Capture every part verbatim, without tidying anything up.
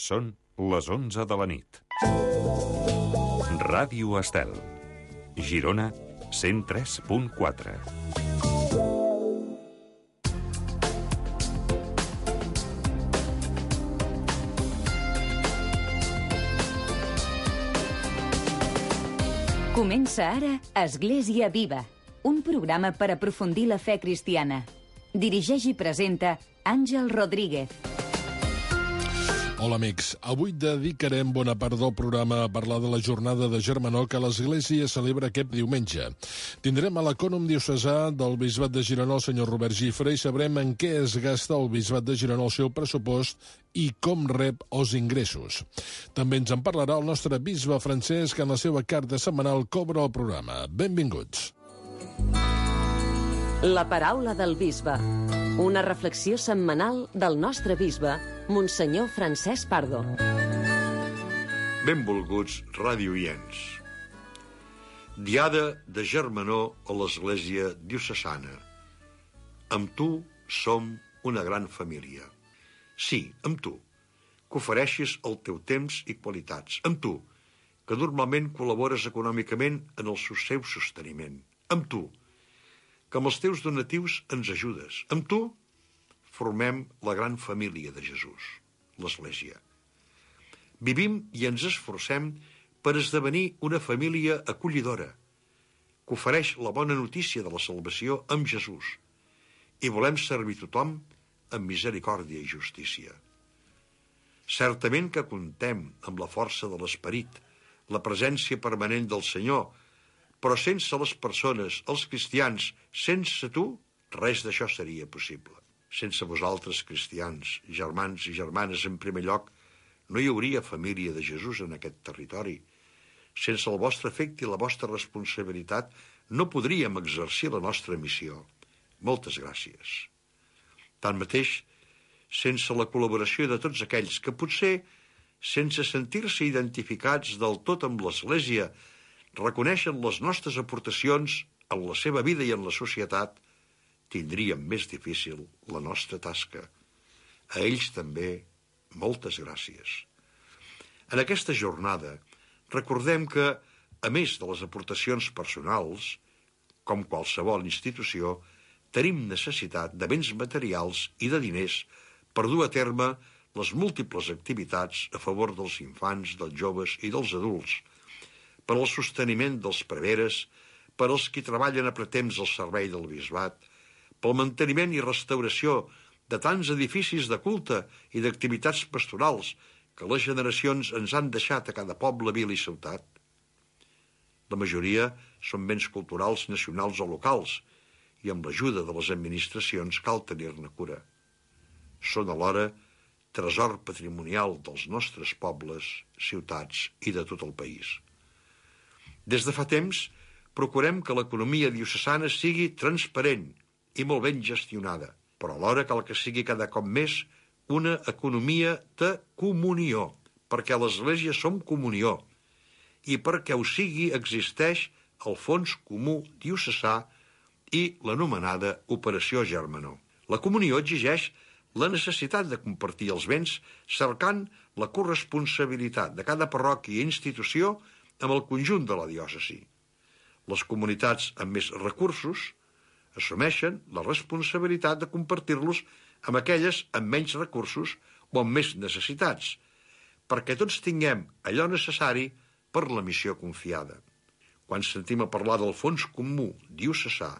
Són les onze de la nit. Ràdio Estel. Girona, cent tres punt quatre. Comença ara Església Viva, un programa per aprofundir la fe cristiana. Dirigeix i presenta Àngel Rodríguez. Hola, amics. Avui dedicarem bona part del programa a parlar de la jornada de germanor que l'Església celebra aquest diumenge. Tindrem a l'acònom diocesà del Bisbat de Girona, el senyor Robert Gifre, i sabrem en què es gasta el Bisbat de Girona el seu pressupost i com rep els ingressos. També ens en parlarà el nostre bisbe Francesc, que en la seva carta setmanal cobra el programa. Benvinguts. La paraula del bisbe. Una reflexió setmanal del nostre bisbe, Monsenyor Francesc Pardo. Benvolguts radioients. Diada de germanor a l'Església diocesana. Amb tu som una gran família. Sí, amb tu, que ofereixis el teu temps i qualitats. Amb tu, que normalment col·labores econòmicament en el seu sosteniment. Amb tu, que amb els teus donatius ens ajudes. Amb tu formem la gran família de Jesús, l'Església. Vivim i ens esforcem per esdevenir una família acollidora, que ofereix la bona notícia de la salvació amb Jesús, i volem servir tothom amb misericòrdia i justícia. Certament que contem amb la força de l'Esperit, la presència permanent del Senyor, però sense les persones, els cristians, sense tu, res d'això seria possible. Sense vosaltres, cristians, germans i germanes, en primer lloc, no hi hauria família de Jesús en aquest territori. Sense el vostre afecte i la vostra responsabilitat, no podríem exercir la nostra missió. Moltes gràcies. Tanmateix, sense la col·laboració de tots aquells que potser, sense sentir-se identificats del tot amb l'Església, reconeixen les nostres aportacions en la seva vida i en la societat, tindríem més difícil la nostra tasca. A ells també, moltes gràcies. En aquesta jornada, recordem que, a més de les aportacions personals, com qualsevol institució, tenim necessitat de béns materials i de diners per dur a terme les múltiples activitats a favor dels infants, dels joves i dels adults, per al sosteniment dels preveres, per als qui treballen a pretemps al servei del bisbat, pel manteniment i restauració de tants edificis de culte i d'activitats pastorals que les generacions ens han deixat a cada poble, vila i ciutat. La majoria són béns culturals nacionals o locals i amb l'ajuda de les administracions cal tenir-ne cura. Són alhora tresor patrimonial dels nostres pobles, ciutats i de tot el país. Des de fa temps, procurem que l'economia diocesana sigui transparent i molt ben gestionada, però alhora cal que sigui cada cop més una economia de comunió, perquè a l'Església som comunió, i perquè ho sigui existeix el Fons Comú Diocesà i l'anomenada Operació Germanor. La comunió exigeix la necessitat de compartir els béns cercant la corresponsabilitat de cada parròquia i institució amb el conjunt de la diòcesi. Les comunitats amb més recursos assumeixen la responsabilitat de compartir-los amb aquelles amb menys recursos o amb més necessitats, perquè tots tinguem allò necessari per la missió confiada. Quan sentim a parlar del Fons Comú Diocesà,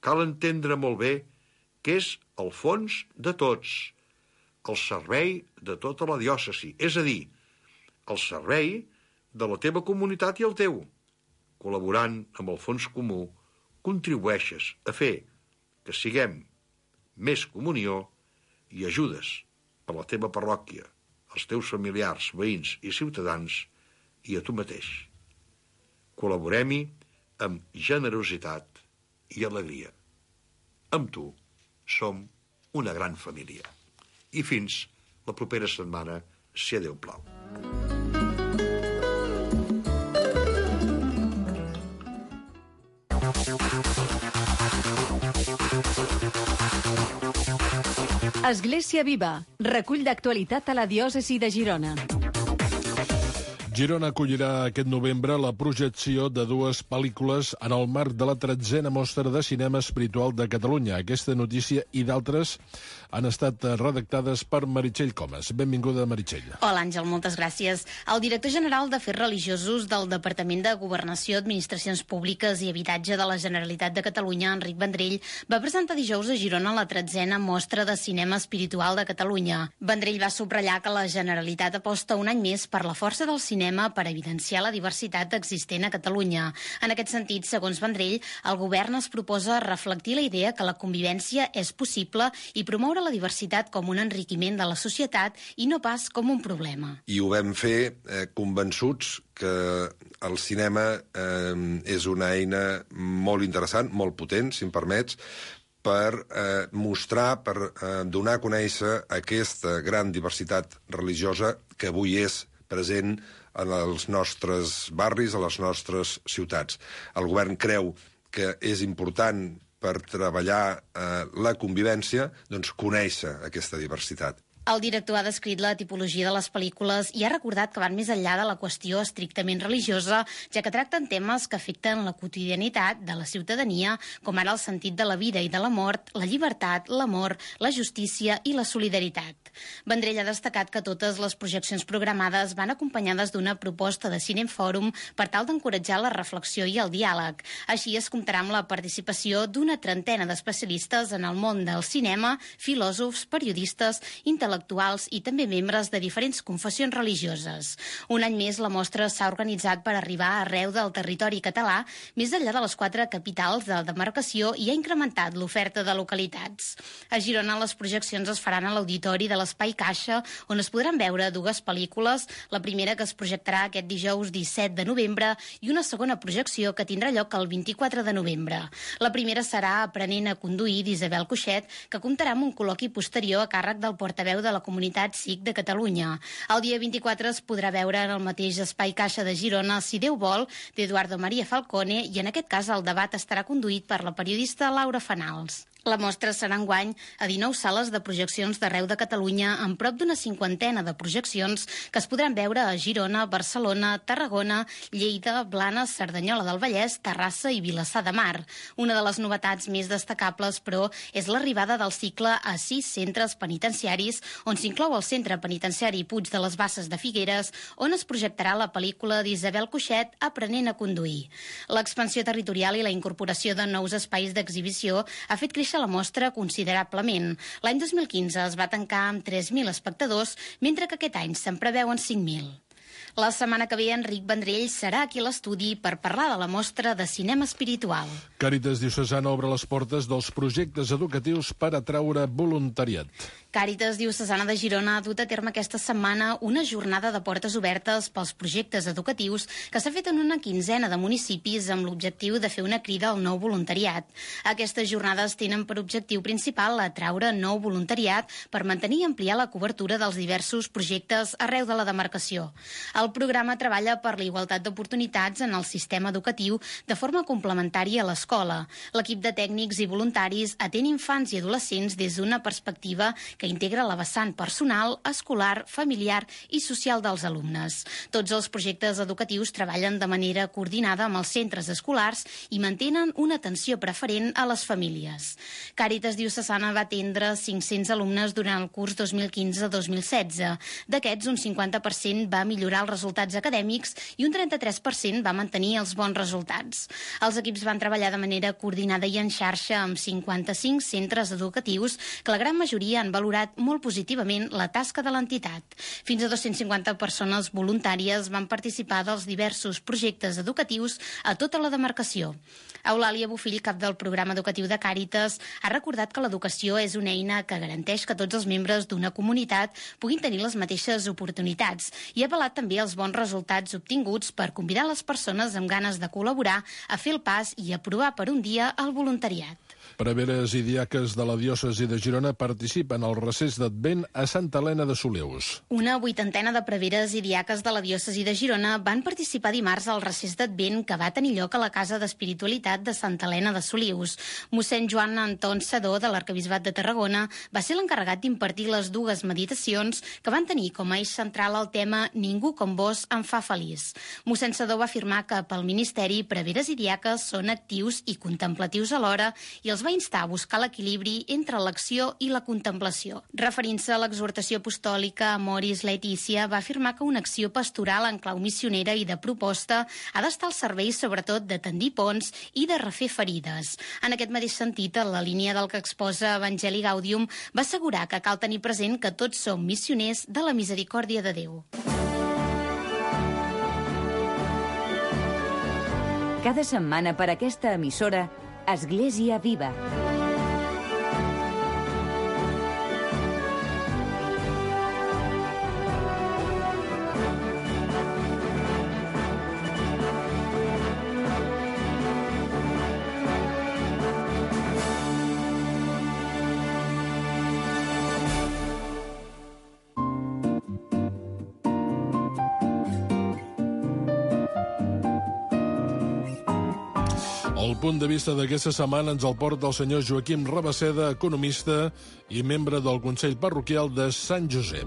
cal entendre molt bé que és el fons de tots, el servei de tota la diòcesi, és a dir, el servei de la teva comunitat i el teu. Col·laborant amb el fons comú, contribueixes a fer que siguem més comunió i ajudes a la teva parròquia, als teus familiars, veïns i ciutadans i a tu mateix. Col·laborem-hi amb generositat i alegria. Amb tu som una gran família. I fins la propera setmana, si a Déu plau. Thank you. Església Viva, recull d'actualitat a la diòcesi de Girona. Girona acollirà aquest novembre la projecció de dues pel·lícules en el marc de la tretzena mostra de cinema espiritual de Catalunya. Aquesta notícia i d'altres han estat redactades per Meritxell Comas. Benvinguda, Meritxell. Hola, Àngel, moltes gràcies. El director general d'Afers Religiosos del Departament de Governació, Administracions Públiques i Habitatge de la Generalitat de Catalunya, Enric Vendrell, va presentar dijous a Girona la tretzena mostra de cinema espiritual de Catalunya. Vendrell va subratllar que la Generalitat aposta un any més per la força del cinema per evidenciar la diversitat existent a Catalunya. En aquest sentit, segons Vendrell, el govern es proposa reflectir la idea que la convivència és possible i promoure la diversitat com un enriquiment de la societat i no pas com un problema. I ho vam fer eh, convençuts que el cinema eh, és una eina molt interessant, molt potent, si em permets, per eh, mostrar, per eh, donar a conèixer aquesta gran diversitat religiosa que avui és present en els nostres barris, a les nostres ciutats. El govern creu que és important per treballar eh, la convivència, doncs conèixer aquesta diversitat. El director ha descrit la tipologia de les pel·lícules i ha recordat que van més enllà de la qüestió estrictament religiosa, ja que tracten temes que afecten la quotidianitat de la ciutadania, com ara el sentit de la vida i de la mort, la llibertat, l'amor, la justícia i la solidaritat. Vendrell ha destacat que totes les projeccions programades van acompanyades d'una proposta de Cinefòrum per tal d'encoratjar la reflexió i el diàleg. Així es comptarà amb la participació d'una trentena d'especialistes en el món del cinema, filòsofs, periodistes, intel·lectuals i també membres de diferents confessions religioses. Un any més, la mostra s'ha organitzat per arribar arreu del territori català, més enllà de les quatre capitals de demarcació, i ha incrementat l'oferta de localitats. A Girona, les projeccions es faran a l'auditori de l'Espai Caixa, on es podran veure dues pel·lícules, la primera que es projectarà aquest dijous disset de novembre i una segona projecció que tindrà lloc el vint-i-quatre de novembre. La primera serà Aprenent a conduir, d'Isabel Cuixet, que comptarà amb un col·loqui posterior a càrrec del portaveu de la comunitat S I C de Catalunya. El dia vint-i-quatre es podrà veure en el mateix Espai Caixa de Girona Si Déu vol, d'Eduardo María Falcone, i en aquest cas el debat estarà conduït per la periodista Laura Fanals. La mostra serà enguany a dinou sales de projeccions d'arreu de Catalunya, amb prop d'una cinquantena de projeccions que es podran veure a Girona, Barcelona, Tarragona, Lleida, Blanes, Cerdanyola del Vallès, Terrassa i Vilassar de Mar. Una de les novetats més destacables, però, és l'arribada del cicle a sis centres penitenciaris, on s'inclou el Centre Penitenciari Puig de les Basses de Figueres, on es projectarà la pel·lícula d'Isabel Cuixet, Aprenent a conduir. L'expansió territorial i la incorporació de nous espais d'exhibició ha fet créixer la mostra considerablement. L'any dos mil quinze es va tancar amb tres mil espectadors, mentre que aquest any se'n preveuen cinc mil. La setmana que ve, Enric Vendrell serà aquí a l'estudi per parlar de la mostra de cinema espiritual. Càritas Diocesana obre les portes dels projectes educatius per atraure voluntariat. Càritas Diocesana de Girona ha dut a terme aquesta setmana una jornada de portes obertes pels projectes educatius que s'ha fet en una quinzena de municipis amb l'objectiu de fer una crida al nou voluntariat. Aquestes jornades tenen per objectiu principal atraure nou voluntariat per mantenir i ampliar la cobertura dels diversos projectes arreu de la demarcació. El programa treballa per la igualtat d'oportunitats en el sistema educatiu de forma complementària a l'escola. L'equip de tècnics i voluntaris atén infants i adolescents des d'una perspectiva que integra la vessant personal, escolar, familiar i social dels alumnes. Tots els projectes educatius treballen de manera coordinada amb els centres escolars i mantenen una atenció preferent a les famílies. Càritas Diocesana va atendre cinc-cents alumnes durant el curs dos mil quinze dos mil setze. D'aquests, un cinquanta per cent va millorar els resultats acadèmics i un trenta-tres per cent va mantenir els bons resultats. Els equips van treballar de manera coordinada i en xarxa amb cinquanta-cinc centres educatius que la gran majoria han valorat molt positivament la tasca de l'entitat. Fins a dos-cents cinquanta persones voluntàries van participar dels diversos projectes educatius a tota la demarcació. Eulàlia Bofill, cap del programa educatiu de Càritas, ha recordat que l'educació és una eina que garanteix que tots els membres d'una comunitat puguin tenir les mateixes oportunitats i ha apel·lat també als bons resultats obtinguts per convidar les persones amb ganes de col·laborar a fer el pas i a provar per un dia el voluntariat. Preveres i diaques de la diòcesi de Girona participen al recés d'Advent a Santa Helena de Solius. Una vuitantena de preveres i diaques de la diòcesi de Girona van participar dimarts al recés d'Advent que va tenir lloc a la Casa d'Espiritualitat de Santa Helena de Solius. Mossèn Joan Anton Sedó, de l'Arquebisbat de Tarragona, va ser l'encarregat d'impartir les dues meditacions que van tenir com a eix central el tema Ningú com vos em fa feliç. Mossèn Sedó va afirmar que pel ministeri preveres i diaques són actius i contemplatius alhora i els va instar a buscar l'equilibri entre l'acció i la contemplació. Referint-se a l'exhortació apostòlica, Amoris Laetitia va afirmar que una acció pastoral en clau missionera i de proposta ha d'estar al servei sobretot de tendir ponts i de refer ferides. En aquest mateix sentit, en la línia del que exposa Evangeli Gaudium, va assegurar que cal tenir present que tots som missioners de la misericòrdia de Déu. Cada setmana per aquesta emissora, Església Viva. El punt de vista d'aquesta setmana ens el porta el senyor Joaquim Rabasseda, economista i membre del Consell Parroquial de Sant Josep.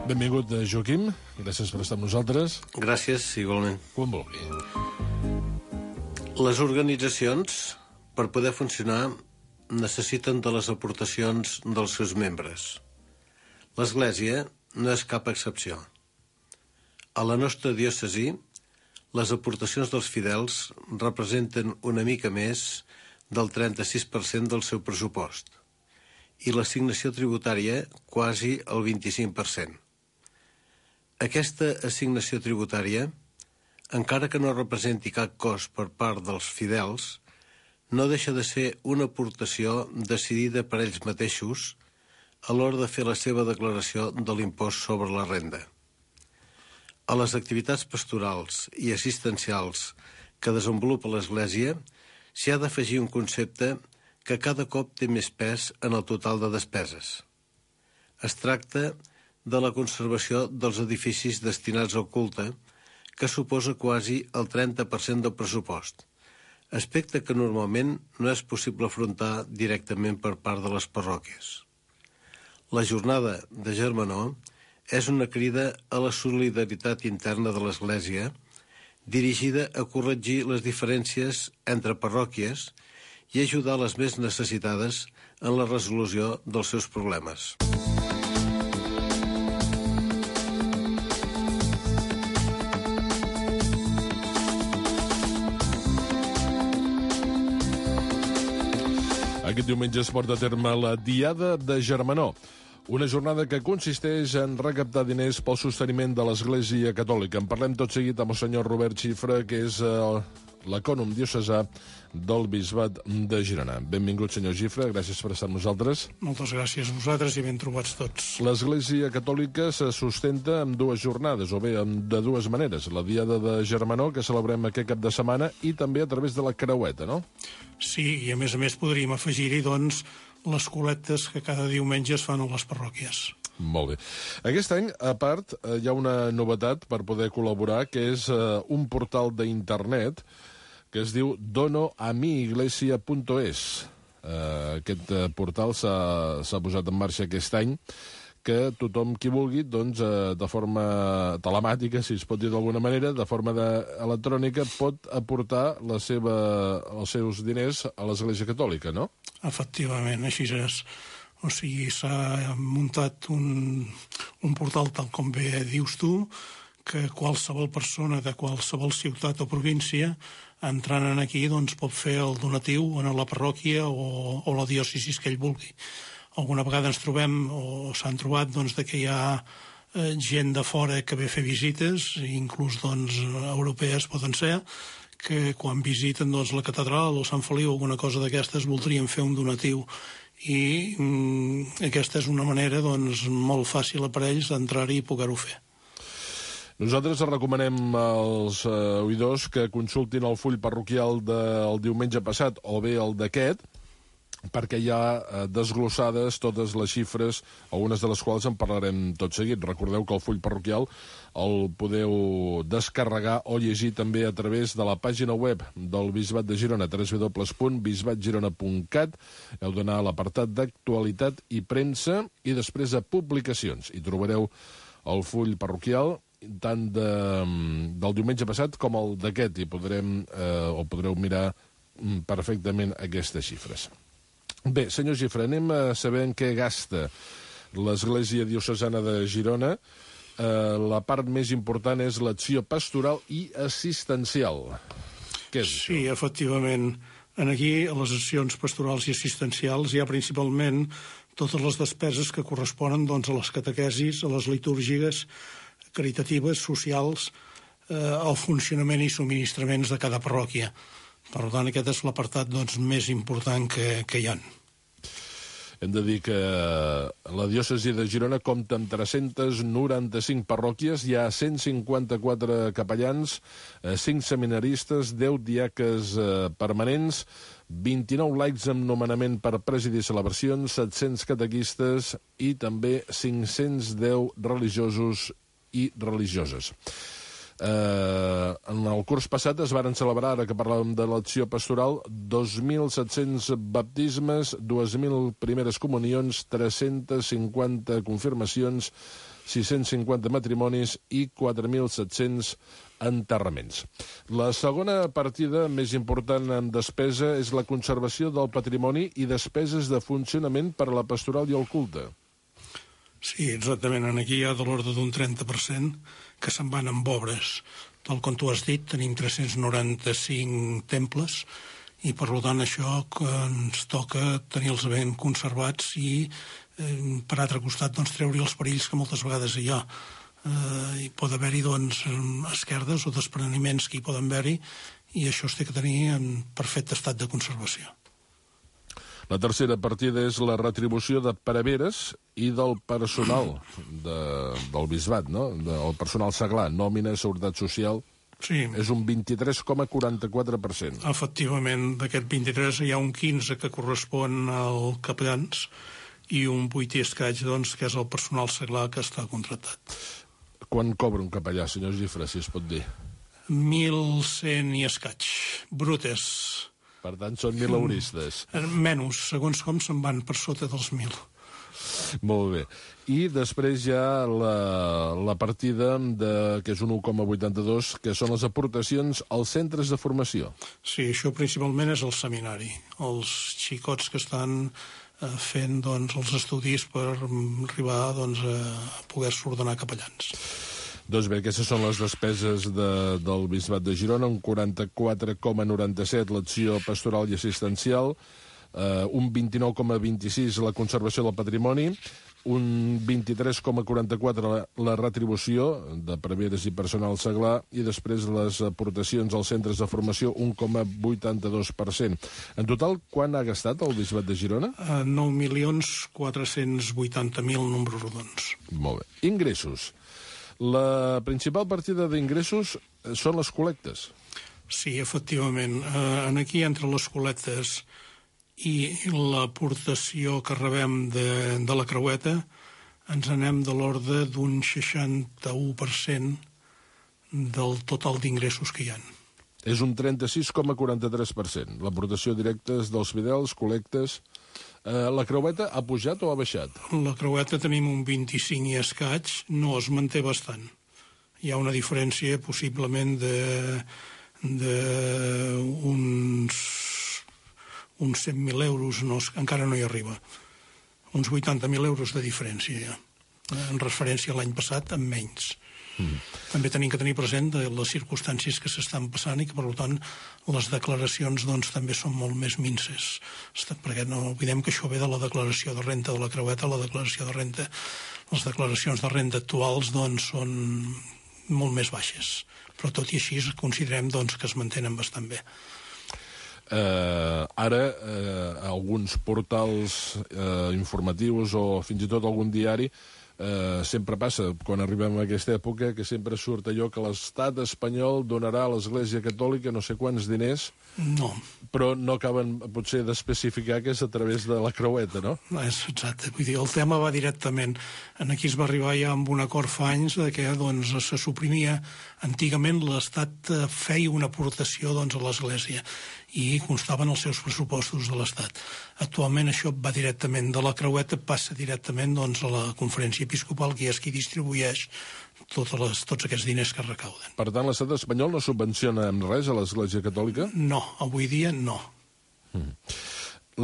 Benvingut, Joaquim. Gràcies per estar amb nosaltres. Gràcies, igualment. Quan vulgui. Les organitzacions, per poder funcionar, necessiten de les aportacions dels seus membres. L'Església no és cap excepció. A la nostra diòcesi, les aportacions dels fidels representen una mica més del trenta-sis per cent del seu pressupost i l'assignació tributària quasi el vint-i-cinc per cent. Aquesta assignació tributària, encara que no representi cap cost per part dels fidels, no deixa de ser una aportació decidida per ells mateixos a l'hora de fer la seva declaració de l'impost sobre la renda. A les activitats pastorals i assistencials que desenvolupa l'Església s'hi ha d'afegir un concepte que cada cop té més pes en el total de despeses. Es tracta de la conservació dels edificis destinats al culte, que suposa quasi el trenta per cent del pressupost, aspecte que normalment no és possible afrontar directament per part de les parròquies. La jornada de Germanor és una crida a la solidaritat interna de l'Església, dirigida a corregir les diferències entre parròquies i ajudar les més necessitades en la resolució dels seus problemes. Aquest diumenge es porta a terme la Diada de Germanor, una jornada que consisteix en recaptar diners pel sosteniment de l'Església Catòlica. En parlem tot seguit amb el senyor Robert Xifra, que és uh, l'ecònom diocesà del Bisbat de Girona. Benvingut, senyor Xifra, gràcies per estar amb nosaltres. Moltes gràcies a vosaltres i ben trobats tots. L'Església Catòlica se sustenta amb dues jornades, o bé de dues maneres. La Diada de Germanor, que celebrem aquest cap de setmana, i també a través de la creueta, no? Sí, i a més a més podríem afegir-hi, doncs, les col·lectes que cada diumenge es fan a les parròquies. Molt bé. Aquest any, a part, hi ha una novetat per poder col·laborar, que és uh, un portal d'internet que es diu dono a mi iglesia punt es. Uh, aquest uh, portal s'ha posat en marxa aquest any, que tothom qui vulgui, doncs, uh, de forma telemàtica, si es pot dir d'alguna manera, de forma de, electrònica, pot aportar la seva, els seus diners a l'Església Catòlica, no? Efectivament, així és. O sigui, s'ha muntat un, un portal, tal com bé dius tu, que qualsevol persona de qualsevol ciutat o província, entrant en aquí, doncs, pot fer el donatiu en la parròquia o, o la diòcesis que ell vulgui. Alguna vegada ens trobem, o s'han trobat, doncs, de que hi ha eh, gent de fora que ve a fer visites, inclús, doncs, europees poden ser, que quan visiten, doncs, la catedral o Sant Feliu o alguna cosa d'aquestes voldrien fer un donatiu. I mm, aquesta és una manera, doncs, molt fàcil per ells d'entrar-hi i poder-ho fer. Nosaltres recomanem als eh, oïdors que consultin el full parroquial del diumenge passat o bé el d'aquest, perquè hi ha eh, desglossades totes les xifres, algunes de les quals en parlarem tot seguit. Recordeu que el full parroquial el podeu descarregar o llegir també a través de la pàgina web del Bisbat de Girona, w w w punt bisbat girona punt cat. Heu d'anar a l'apartat d'actualitat i premsa i després a publicacions. Hi trobareu el full parroquial tant de, del diumenge passat com el d'aquest, i podrem, eh, o podreu mirar perfectament aquestes xifres. Bé, senyor Gifre, anem a saber en què gasta l'Església Diocesana de Girona. Eh, la part més important és l'acció pastoral i assistencial. Què és sí, això? Efectivament. En aquí, a les accions pastorals i assistencials, hi ha principalment totes les despeses que corresponen doncs, a les catequesis, a les litúrgiques caritatives, socials, eh, al funcionament i subministraments de cada parròquia. Per tant, aquest és l'apartat doncs, més important que, que hi ha. Hem de dir que la diòcesi de Girona compta amb tres-centes noranta-cinc parròquies, hi ha cent cinquanta-quatre capellans, cinc seminaristes, deu diaques permanents, vint-i-nou laics amb nomenament per presidir celebracions, set-cents catequistes i també cinc-cents deu religiosos i religioses. Eh, en el curs passat es varen celebrar, ara que parlàvem de l'acció pastoral, dos mil set-cents baptismes, dues mil primeres comunions, tres-centes cinquanta confirmacions, sis-cents cinquanta matrimonis i quatre mil set-cents enterraments. La segona partida més important en despesa és la conservació del patrimoni i despeses de funcionament per a la pastoral i el culte. Sí, exactament. Aquí hi ha de l'ordre d'un trenta per cent que se'n van amb obres. Tal com tu has dit, tenim tres-cents noranta-cinc temples i, per tant, això que ens toca tenir-los ben conservats i, eh, per altre costat, doncs, treure els perills que moltes vegades hi ha. Eh, hi pot haver-hi, doncs, esquerdes o despreniments que hi poden haver-hi i això es té que tenir en perfecte estat de conservació. La tercera partida és la retribució de preveres i del personal de, del bisbat, no? Del personal seglar, nòmina, seguretat social. Sí. És un vint-i-tres coma quaranta-quatre per cent. Efectivament, d'aquest vint-i-tres hi ha un quinze que correspon al capellans i un vuit i escaig, doncs, que és el personal seglar que està contractat. Quan cobra un capellà, senyor Gifre, si es pot dir? mil cent i escaig, brutes. Per tant, són mileuristes. Menys, segons com se'n van per sota dels mil. Molt bé. I després hi ha la, la partida, de, que és un un coma vuitanta-dos, que són les aportacions als centres de formació. Sí, això principalment és el seminari. Els xicots que estan eh, fent doncs, els estudis per arribar doncs, a poder-se ordenar capellans. Doncs bé, aquestes són les despeses de, del Bisbat de Girona, un quaranta-quatre coma noranta-set l'acció pastoral i assistencial, eh, un vint-i-nou coma vint-i-sis la conservació del patrimoni, un vint-i-tres coma quaranta-quatre la, la retribució de preveres i personal seglar i després les aportacions als centres de formació, un coma vuitanta-dos per cent. En total, quan ha gastat el Bisbat de Girona? Uh, nou milions quatre-cents vuitanta mil números rodons. Molt bé. Ingressos. La principal partida d'ingressos són les col·lectes. Sí, efectivament. Eh, aquí, entre les col·lectes i l'aportació que rebem de, de la creueta, ens anem de l'ordre d'un seixanta-u per cent del total d'ingressos que hi ha. És un trenta-sis coma quaranta-tres per cent. L'aportació directa és dels fidels, col·lectes. Eh, la creueta ha pujat o ha baixat? La creueta tenim un vint-i-cinc i escaig, no es manté bastant. Hi ha una diferència possiblement de, de uns, uns cent mil euros, no, encara no hi arriba. Uns vuitanta mil euros de diferència, ja. En referència a l'any passat, amb menys. Mm. També tenim que tenir present de les circumstàncies que s'estan passant i que, per tant, les declaracions doncs, també són molt més minces. Perquè no oblidem que això ve de la declaració de renta de la creueta, la declaració de renta, les declaracions de renta actuals doncs, són molt més baixes. Però tot i així considerem doncs, que es mantenen bastant bé. Uh, ara, uh, alguns portals uh, informatius o fins i tot algun diari eh, sempre passa, quan arribem a aquesta època, que sempre surt allò que l'estat espanyol donarà a l'Església Catòlica no sé quants diners, no. però no acaben potser d'especificar que és a través de la creueta, no? No és exacte. Vull dir, el tema va directament. Aquí es va arribar ja amb un acord fa anys de que doncs, se suprimia. Antigament l'Estat feia una aportació doncs, a l'Església i constaven els seus pressupostos de l'Estat. Actualment això va directament de la creueta, passa directament doncs, a la Conferència Episcopal, que és qui distribueix totes les, tots aquests diners que recauden. Per tant, l'estat espanyol no subvenciona amb res a l'Església Catòlica? No, avui dia no. Mm.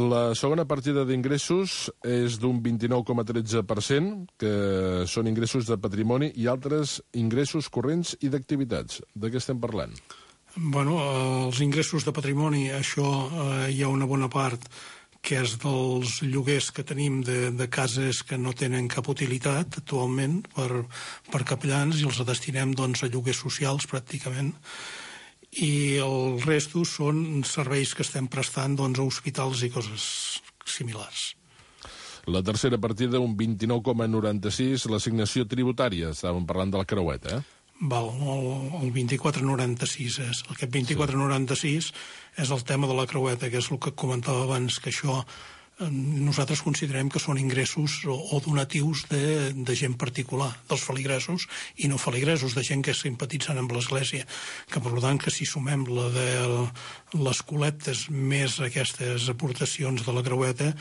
La segona partida d'ingressos és d'un vint-i-nou coma tretze per cent, que són ingressos de patrimoni i altres ingressos corrents i d'activitats. De què estem parlant? Bueno, els ingressos de patrimoni, això eh, hi ha una bona part que és dels lloguers que tenim de, de cases que no tenen cap utilitat actualment per, per capellans i els destinem doncs, a lloguers socials pràcticament. I el resto són serveis que estem prestant doncs, a hospitals i coses similars. La tercera partida, un vint-i-nou coma noranta-sis, l'assignació tributària. Estàvem parlant de la creueta, eh? Val, el, el vint-i-quatre noranta-sis és. Aquest vint-i-quatre noranta-sis és el tema de la creueta, que és el que comentava abans, que això eh, nosaltres considerem que són ingressos o, o donatius de, de gent particular, dels feligresos i no feligresos, de gent que simpatitzen amb l'Església, que per tant que si sumem la de les col·lectes més aquestes aportacions de la creueta,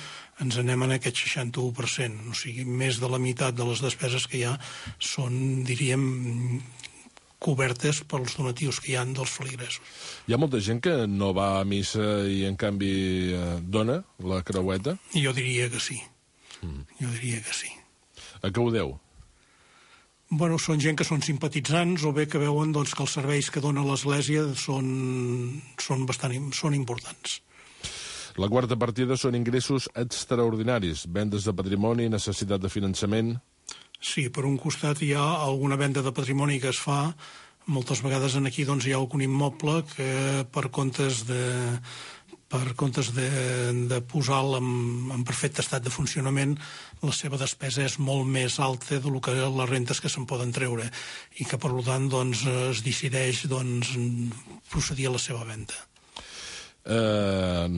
ens anem en aquest seixanta-u per cent, o sigui, més de la meitat de les despeses que hi ha són, diríem, cobertes pels donatius que hi ha dels feligresos. Hi ha molta gent que no va a missa i, en canvi, eh, dona la creueta? Jo diria que sí. Mm. Jo diria que sí. A què ho deu? Bueno, són gent que són simpatitzants o bé que veuen doncs, que els serveis que dona l'Església són, són, bastant, són importants. La quarta partida són ingressos extraordinaris, vendes de patrimoni, necessitat de finançament. Sí, per un costat hi ha alguna venda de patrimoni que es fa, moltes vegades en aquí doncs, hi ha algun immoble que per comptes de, per comptes de, de posar-lo en, en perfecte estat de funcionament, la seva despesa és molt més alta de lo que les rentes que se'n poden treure i que per tant doncs, es decideix doncs, procedir a la seva venda. Eh,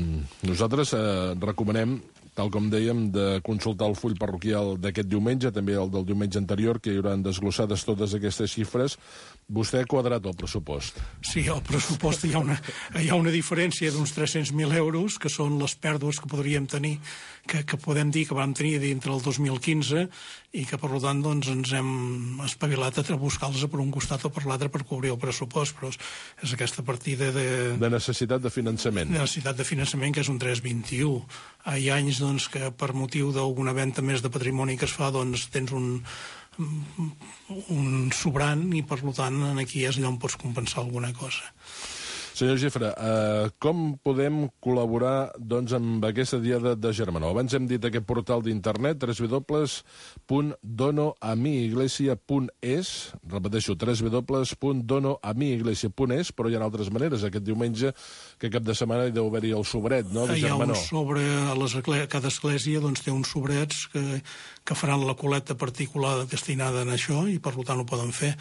nosaltres eh, recomanem, tal com dèiem, de consultar el full parroquial d'aquest diumenge, també el del diumenge anterior, que hi hauran desglossades totes aquestes xifres. Vostè ha quadrat el pressupost. Sí, el pressupost hi ha una, hi ha una diferència d'uns tres-cents mil euros, que són les pèrdues que podríem tenir, que, que podem dir que vam tenir dintre el dos mil quinze i que, per tant, doncs, ens hem espavilat a buscar-los per un costat o per l'altre per cobrir el pressupost, però és aquesta partida de... De necessitat de finançament. De necessitat de finançament, que és un tres coma vint-i-u. Hi ha anys doncs, que per motiu d'alguna venda més de patrimoni que es fa, doncs tens un, un sobrant i, per tant, aquí és allà on pots compensar alguna cosa. Senyor Gifre, eh, com podem col·laborar doncs, amb aquesta diada de Germanó? Abans hem dit aquest portal d'internet, w w w punt dono a mi iglesia punt es, repeteixo, w w w punt dono a mi iglesia punt es, però hi ha altres maneres. Aquest diumenge, que cap de setmana hi deu haver-hi el sobret, no?, de Germanó. Hi ha un sobre, a les, cada església doncs, té uns sobrets que, que faran la col·lecta particular destinada a això i, per tant, ho poden fer.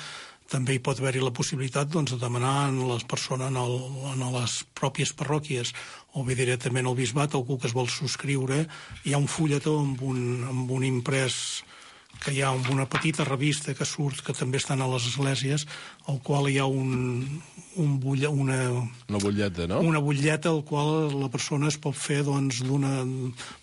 També hi pot haver-hi la possibilitat doncs, de demanar a les persones en, el, en les pròpies parròquies o bé directament al bisbat, algú que es vol subscriure. Hi ha un fulletó amb un, amb un imprès que hi ha una petita revista que surt, que també estan a les esglésies, al qual hi ha un, un bulla, una, una butlleta, no? Una butlleta al qual la persona es pot fer, doncs, d'una,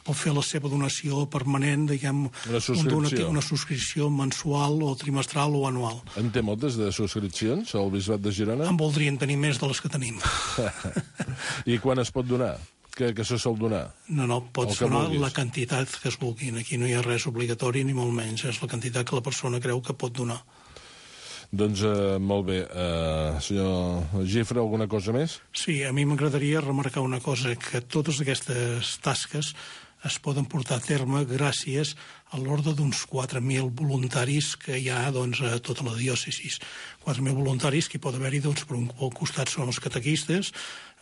pot fer la seva donació permanent, diguem, una subscripció. Un donatiu, una subscripció mensual o trimestral o anual. En té moltes de subscripcions al Bisbat de Girona? En voldrien tenir més de les que tenim. I quan es pot donar? Que, que se sol donar? No, no, pots donar vulguis. La quantitat que es vulguin. Aquí no hi ha res obligatori ni molt menys. És la quantitat que la persona creu que pot donar. Doncs eh, molt bé. Eh, senyor Gifre, alguna cosa més? Sí, a mi m'agradaria remarcar una cosa, que totes aquestes tasques es poden portar a terme gràcies a l'ordre d'uns quatre mil voluntaris que hi ha doncs, a tota la diòcesis. quatre mil voluntaris que hi pot haver-hi, doncs, per un costat són els catequistes,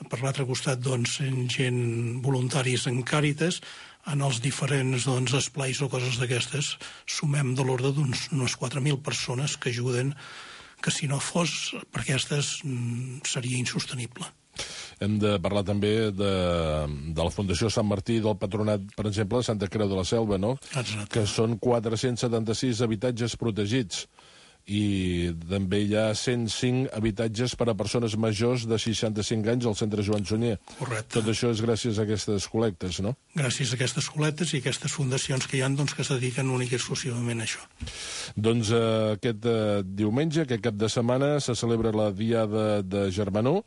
per l'altre costat doncs, gent voluntaris en Càritas, en els diferents doncs, esplais o coses d'aquestes, sumem de l'ordre d'unes quatre mil persones que ajuden, que si no fos per aquestes seria insostenible. Hem de parlar també de, de la Fundació Sant Martí, del Patronat, per exemple, de Santa Creu de la Selva, no? Exacte. Que són quatre-cents setanta-sis habitatges protegits i també hi ha cent cinc habitatges per a persones majors de seixanta-cinc anys al centre Joan Sunyer. Correcte. Tot això és gràcies a aquestes col·lectes, no? Gràcies a aquestes col·lectes i aquestes fundacions que hi ha doncs, que es dediquen únic i exclusivament a això. Doncs eh, aquest eh, diumenge, aquest cap de setmana, se celebra la Diada de Germanó,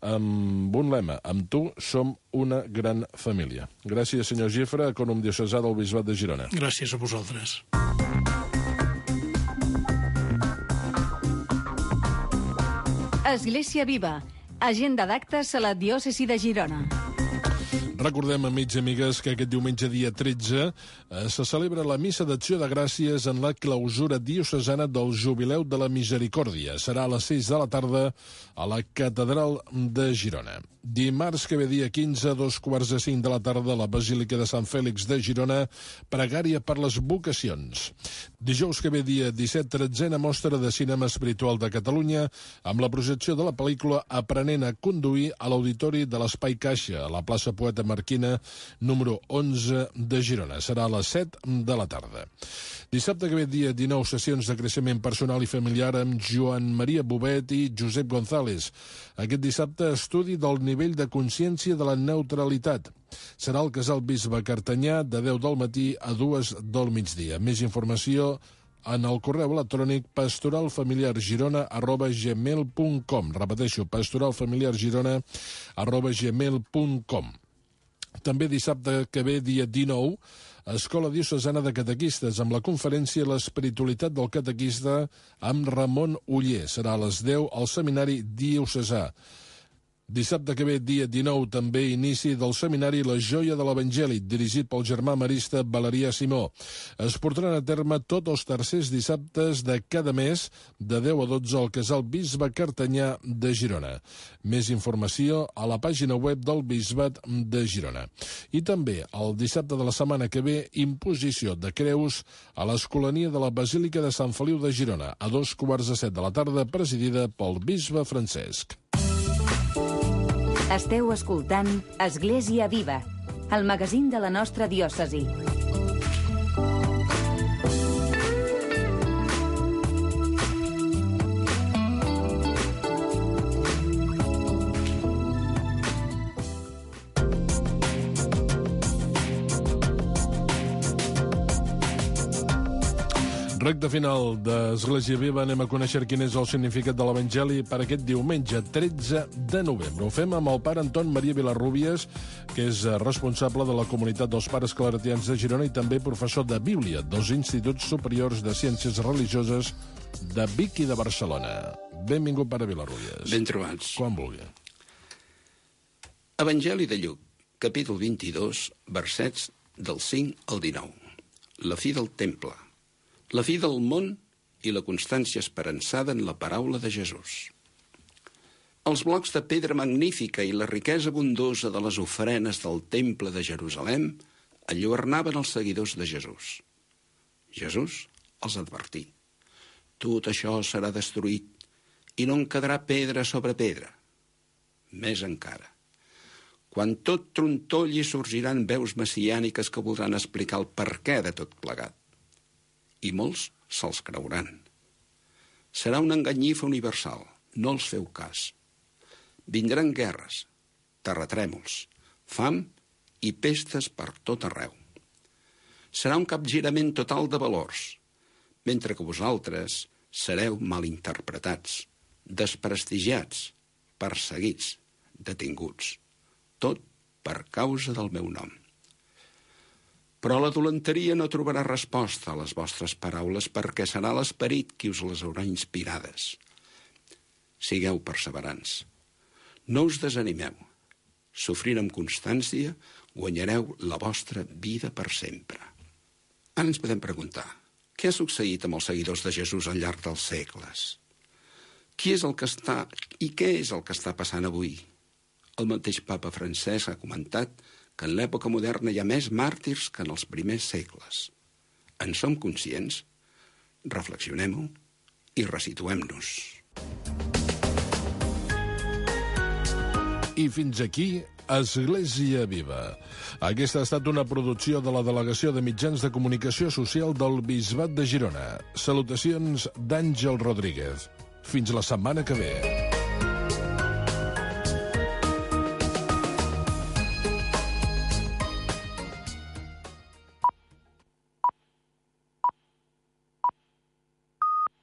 amb un lema: amb tu som una gran família. Gràcies, senyor Gifra, ecònom diocesà del Bisbat de Girona. Gràcies a vosaltres. Església Viva. Agenda d'actes a la diòcesi de Girona. Recordem, amics i amigues, que aquest diumenge dia tretze eh, se celebra la Missa d'Acció de Gràcies en la clausura diocesana del Jubileu de la Misericòrdia. Serà a les sis de la tarda a la Catedral de Girona. Dimarts que ve dia quinze, a dos quarts de cinc de la tarda, a la Basílica de Sant Fèlix de Girona, pregària per les vocacions. Dijous que ve dia disset, tretzena mostra de cinema espiritual de Catalunya, amb la projecció de la pel·lícula Aprenent a conduir a l'Auditori de l'Espai Caixa, a la plaça Poeta Marquina, número onze de Girona. Serà a les set de la tarda. Dissabte que ve dia dinou, sessions de creixement personal i familiar amb Joan Maria Bobet i Josep González. Aquest dissabte, estudi del nivell de consciència de la neutralitat. Serà al Casal Bisbe Cartanyà de deu del matí a dues del migdia. Més informació en el correu electrònic pastoralfamiliargirona arroba gmail punt com. Repeteixo, pastoralfamiliargirona arroba gmail punt com. També dissabte que ve, dia dinou, Escola Diocesana de Catequistes, amb la conferència L'espiritualitat del catequista amb Ramon Uller. Serà a les deu al Seminari Diocesà. Dissabte que ve, dia dinou, també inici del seminari La Joia de l'Evangeli, dirigit pel germà marista Valerià Simó. Es portaran a terme tots els tercers dissabtes de cada mes, de deu a dotze al Casal Bisbe Cartanyà de Girona. Més informació a la pàgina web del Bisbat de Girona. I també, el dissabte de la setmana que ve, imposició de creus a l'Escolania de la Basílica de Sant Feliu de Girona, a dos quarts de set de la tarda, presidida pel bisbe Francesc. Esteu escoltant Església Viva, el magazín de la nostra diòcesi. Recte final d'Església Viva, anem a conèixer quin és el significat de l'Evangeli per aquest diumenge, tretze de novembre. Ho fem amb el pare Anton Maria Vilarrubias, que és responsable de la comunitat dels pares claretians de Girona i també professor de Bíblia dels Instituts Superiors de Ciències Religioses de Vic i de Barcelona. Benvingut, pare Vilarrubias. Ben trobats. Quan vulgui. Evangeli de Lluc, capítol vint-i-dos, versets del cinc al dinou. La fi del temple. La fi del món i la constància esperançada en la paraula de Jesús. Els blocs de pedra magnífica i la riquesa abundosa de les ofrenes del temple de Jerusalem enlluernaven els seguidors de Jesús. Jesús els advertí: tot això serà destruït i no en quedarà pedra sobre pedra. Més encara, quan tot trontolli sorgiran veus messiàniques que voldran explicar el perquè de tot plegat. I molts se'ls creuran. Serà una enganyifa universal, no els feu cas. Vindran guerres, terratrèmols, fam i pestes per tot arreu. Serà un capgirament total de valors, mentre que vosaltres sereu malinterpretats, desprestigiats, perseguits, detinguts, tot per causa del meu nom. Però la dolenteria no trobarà resposta a les vostres paraules perquè serà l'esperit qui us les haurà inspirades. Sigueu perseverants. No us desanimeu. Sofrint amb constància guanyareu la vostra vida per sempre. Ara ens podem preguntar, què ha succeït amb els seguidors de Jesús al llarg dels segles? Qui és el que està i què és el que està passant avui? El mateix papa Francesc ha comentat que en l'època moderna hi ha més màrtirs que en els primers segles. En som conscients? Reflexionem-ho i resituem-nos. I fins aquí, Església Viva. Aquesta ha estat una producció de la Delegació de Mitjans de Comunicació Social del Bisbat de Girona. Salutacions d'Àngel Rodríguez. Fins la setmana que ve.